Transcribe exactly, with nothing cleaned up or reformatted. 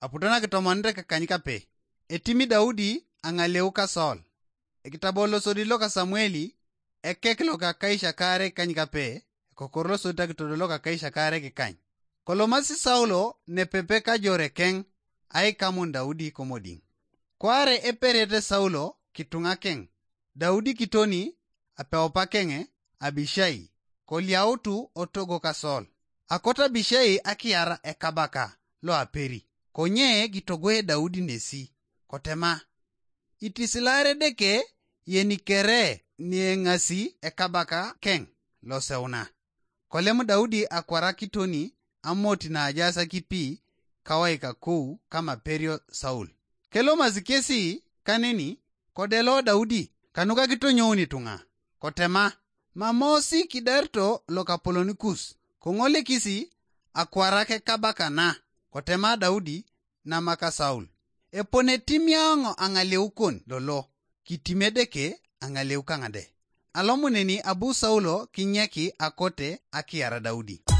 Aputo nakitomonere kekany kape, etimi Daudi aŋaleu ka Saul. Ekitabo losodit loka Samueli, ekek loka kaisha kaare kany kape, ekokor losodit akitodo loka kaisha kaare kikany. Kolomasi Saulo nepepe kajore keŋ aikamun Daudi komodiŋ. Kwaare eperete Saulo kituŋa keŋ, Daudi kitoni apeupa keŋe Abishai, koliautu otogo ka Saul. Akot Abishai akiar ekabaka lo aperi, konye kitogoe Daudi nesi, kotema, "Itisilaar Edeke yeni kere nieŋasi ekabaka keŋ loseuna." Kolem Daudi akwarakitoni amoti naajaas akipi kawaikakou kamaperio Saul. Kelomasi kesi kaneni kodelo Daudi kanuka kitonyouni ituŋa, kotema, "Mamosi kidarito lokapolon kus, koŋolikisi akwarak ekabaka na." Kotema Daudi namaka Saul, "Epone timiaŋo aŋaleu kon lolo, kitim Edeke aŋaleu kaŋade." Alomuneni abu Saulo kinyeki akote akiar Daudi.